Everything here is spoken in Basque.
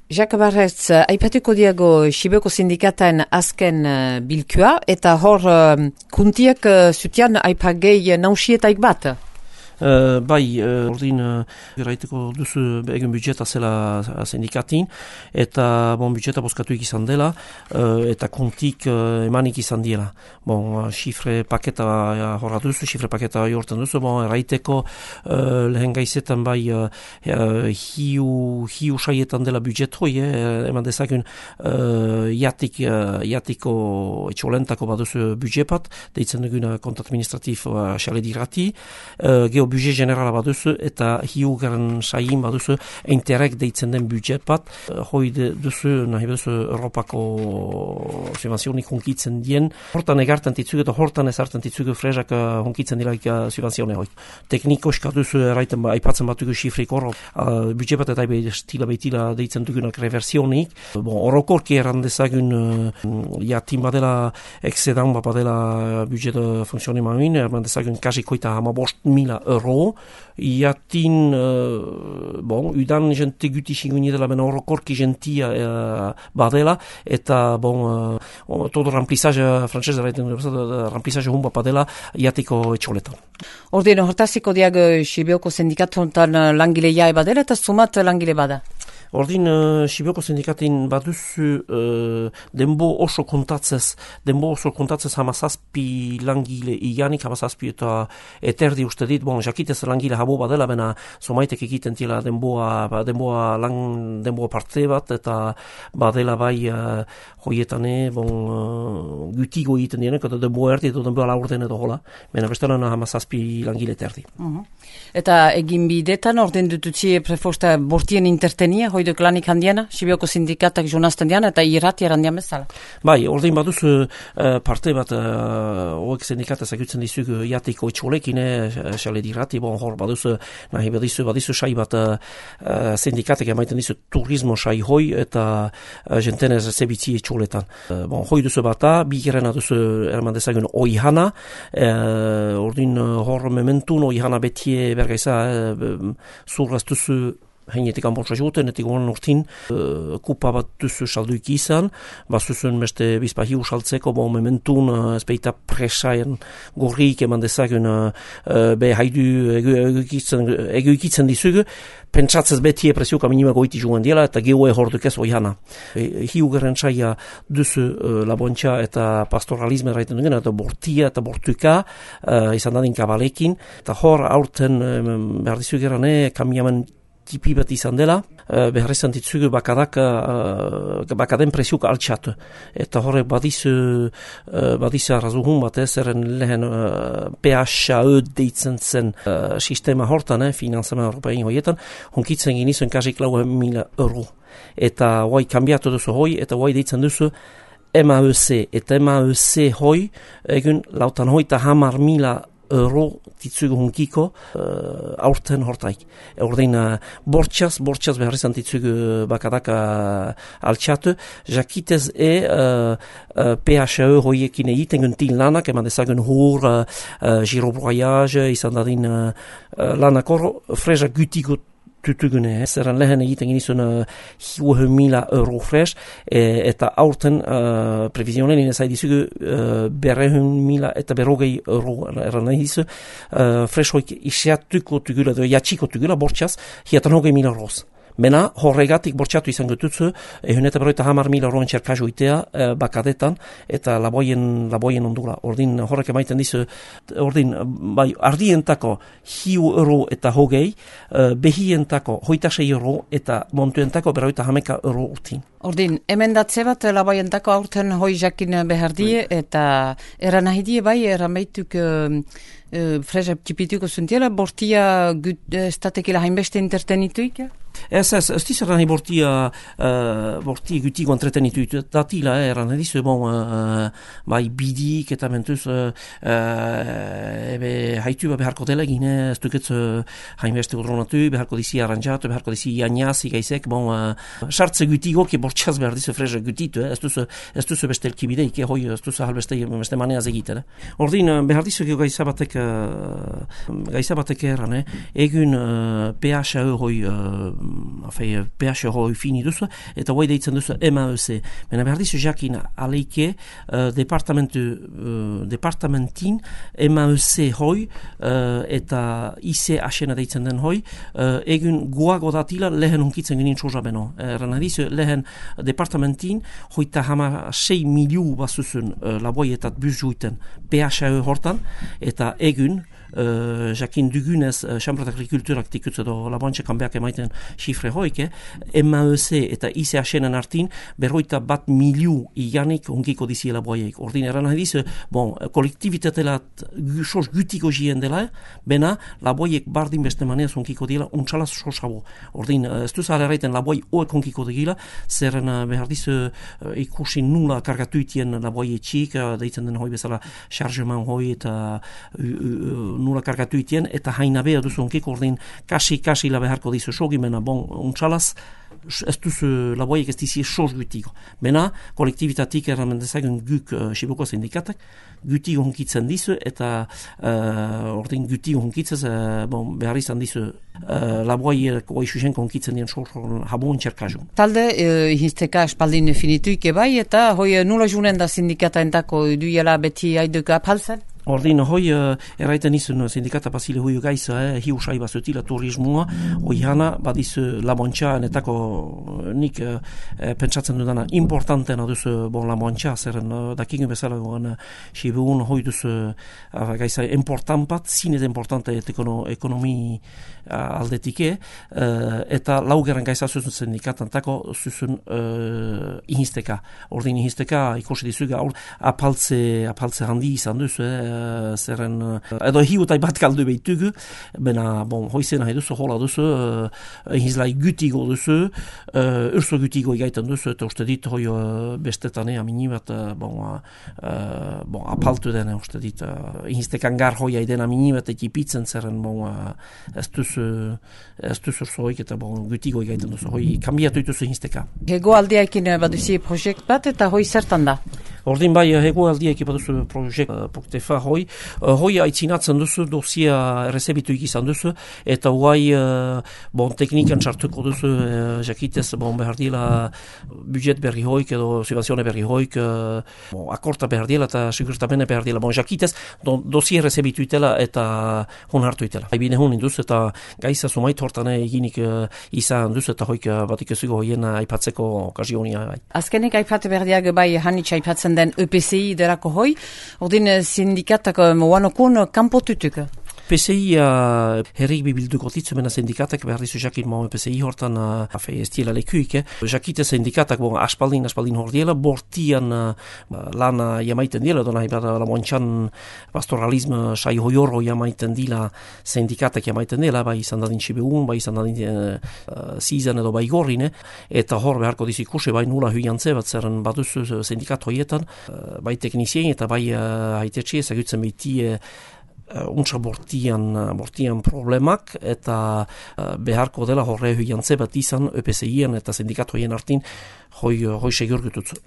Jacques Barretz, aipatuko diago Sibioko sindikataen azken bilkua, eta hor kuntiak zutian aipagei nausietaik bat? Ordin eraiteko duzu egen budjeta zela sindikatin, eta budjeta boskatuik izan dela, eta kontik emanik izan diela. Xifre paketa horra duzu, xifre paketa jortan duzu, eraiteko lehen gaizetan hiu saietan dela budjet hoi, eman dezakun jatiko etxolentako baduzu budjepat, deitzen duguna kont administratif xale dirati, budget generala baduzu eta hiugaren saien baduzu interreg deitzen den budget bat. Hoi duzu, nahi duzu Europako subvenzionik hunkitzen dien. Hortan egartan ditzugu eta hortan ezartan ditzugu frezak hunkitzen dilaik subvenzione hoi. Teknikoska duzu eraiten aipatzen batugu xifrik horro. Budget bat eta stila beitila deitzen dugunak reversionik. Orokorki eran dezagun jatin badela exedan badela budget funtzioneman eran dezagun kasi koita 15,000 euro. Iatin, udan jente guti xinguini dela, bena orokorki gentia badela, eta, todo remplissage francese, remplissage humba badela, iatiko etxoletan. Ordino, hortaziko diag Sibioko sindikatontan langileia badela, eta sumat langile bada? Ordin, Sibioko sindikatin baduzu denbo oso kontatzez hamazazpi langile iganik, hamazazpi eta eterdi uste dit, jakitez langile habo badela, bena somaitek egiten tila denboa parte bat, eta badela bai hoietane, gutigo egiten dienek, eta denboa erdi, eta denboa laurden edo hola, bena bestelan hamazazpi langile eterdi. Eta egin bidetan, ordin dututzi prefosta bortien intertenia, hoiduk lanik handiana, Sibioko sindikatak jonazten diana, eta irrati erandian bezala. Bai, ordin baduzu parte bat, hoek sindikataz agutzen dizugu jatiko etxolekin, xale dirati, hor baduzu, nahi badizu sai bat sindikatek emaiten dizu turismo sai hoi, eta jentenez zebitzi etxoletan. Hoi duzu bata, bigerena duzu erman dezagun oihana, ordin hor mementun oihana betie bergaiza zurraz duzu heinetik anbortza juten, etik honen urtin kupa bat duzu salduik izan, bazuzun beste bizpahiu saltzeko, mementun ezpeita presaien gorrik eman dezagun haidu egoikitzen dizugu, pentsatzez betie presioka minima goiti jungen diela, eta gehoe horduk ez oihana. Hiugaren saia duzu labontxa eta pastoralisme raiten dugen, eta bortia eta bortuka izan dadin kabalekin, eta hor aurten behar dizu gerane kamiamen tipi bat izan dela, behar izan ditzugu bakaden presiuk altxatu. Eta horrek badizu arrazuhun bat eren lehen PHE deitzen zen sistema hortan, finanzama europein hoietan, hunkitzen ginizuen kasik 4.000 euro. Eta hoai kambiatu duzu hoi, eta hoai deitzen duzu MAEC. Eta MAEC hoi, egun 50.000 euro ditzugu hunkiko aurten hortaik. Ordein bortxaz behar izan ditzugu bakadaka altxatu, jakitez PHE hoiekin egiten guntin lanak, eman dezagun hur, girobroiage, izan dadin lanak hor, freza gutiko tutugune, zerren lehen egiten ginizun 100.000 euro fresh, eta aurten previzionen inezai dizugu 100.000 eta 100 euro erran nahi dizu, fresh hoik isiatuko tugula, jatxiko tugula, bortxaz, hiatan 100.000 euroz. Mena, horregatik bortxatu izan gututzu, eta 100.000 euroen txerkazu itea bakadetan, eta laboien ondula. Ordin, horrek emaiten dizu, ordin, bai, ardientako 100 euro eta 20, behientako 26 euro, eta montuentako 150 euro urtin. Ordin, emendatze bat laboientako aurten hoi jakin behar die, eta eran nahi die bai, eran baituk freza tipituko zuntiela, bortia estatekila hainbeste intertenituik? Ez dizera nahi bortia gutiko entretenitu datila, eran edizu, bai bidik eta mentuz haitu beharko dela gine, ez duketz hainbeste udronatu, beharko dizi aranjatu, beharko dizi ianiazi gaizek, sartze gutiko, ki bortxaz behar dizu freza gutitu, ez duzu beste elkibideik, hoi ez duzu halbeste maneaz egiten. Ordin, behar dizu gaizabatek erran, egun PHE hoi PH hoi fini duzu, eta hoi deitzen duzu MAEC. Baina behar dizu jakin aleike departamentin MAEC hoi eta ICH-ena deitzen den hoi, egun guago datila lehen hunkitzen ginen txoza beno. Erran dizu lehen departamentin hoita 6 miliu bazuzun laboietat buzjuiten PH hortan, eta egun jakin dugunez Chambre d'Agriculturak tikutze do laboantxekan behak emaiten xifre hoike, MAEC eta ICH-enen artin 1 miliu ianik ongiko dizi laboieik. Ordin eran nahi dizu, kolektibitatelat sos gutiko jien dela, bena laboiek bardin beste maneaz ongiko dila, untxalaz sosabo. Ordin, ez duz alerraiten laboi oek ongiko digila, zerren behar dizu ikusi nula kargatuitien laboie txik, deitzen den hoi bezala chargement hoi eta nula kargatu itien, eta haina beha duzu onkiko, ordin kasi la beharko dizu sogimena, untxalaz, ez duzu laboiek ez dizi sos gutiko. Bena, kolektibitatik erramen dezagun guk Sibuko sindikatak, gutiko honkitzen dizu, eta ordin gutiko honkitzez, behar izan dizu laboiek oixusenko honkitzen dien sos habon txerkazu. Talde, hizteka espaldin finituike bai, eta hoi nula junen da sindikata entako duela beti aiduka apalzen? Ordin, hoi erraiten izun sindikata pasile hoi gaiza, hiu sai bazutila turismoa, hoi hana, badizu labontxa, netako nik pentsatzen dudana importantena duzu labontxa, zeren dakigun bezala gogan Sibuun hoi duzu gaiza important bat, zinez importante ekonomi aldetike, eta laugerren gaiza zuzun sindikatan tako zuzun ihizteka. Ordin ihizteka ikusi dizuga, apaltze handi izan duzu, zerren, edo hiutai bat galdu behitugu, bena, hoizen nahi duzu, hola duzu, hizlai gutigo duzu, urso gutigo igaiten duzu, eta uste dit, hoi bestetane, amini bat, apaltu dene, uste dit, hiztekan gar hoi aiden amini bat ekipitzen, zerren, ez duzu ursoik, eta gutigo igaiten duzu, hoi kambiatu ituzu hizteka. Hego aldiaekin baduzi projekt bat, eta hoi zertan da? Ordin bai, hego aldiaekin baduzu projekt Poktefa hoi aitzinatzen duzu, dosia errezebitu ikizan duzu, eta huai teknikan txartuko duzu, jakitez, behar dila budget berri hoik, edo subvenzione berri hoik, akorta behar dila, eta segurtamene behar dila, jakitez, dosia errezebitu itela, eta hon hartu itela. Haibine hon induz, eta gaiza sumait hortane eginik izan duz, eta hoik batik ezugo hoien aipatzeko okazionia. Azkenik aipate berdiak bai hanitz aipatzen den EPCI derako hoi, ordin sindikatak moanokun kanpotutuk. PCI herrik bibilduko titzumena sindikatak behar dizu jakin PCI hortan ez diela lekuik. Jakite sindikatak aspaldin hordiela, bortian lana jamaiten dila, edo nahi bada lamontxan pastoralism sai hoiorro jamaiten dila sindikatak jamaiten dila, bai izan dadin Sibuun, bai izan dadin Zizan edo bai gorrine, eta hor beharko dizu ikusi, bai nula huiantze bat zerren baduzu sindikat hoietan, bai teknizien eta bai haitetxe ezagutzen behitie untsa bortian problemak, eta beharko dela horre huiantze bat izan EPCI-en eta sindikatoien artin hoi segur gututzu.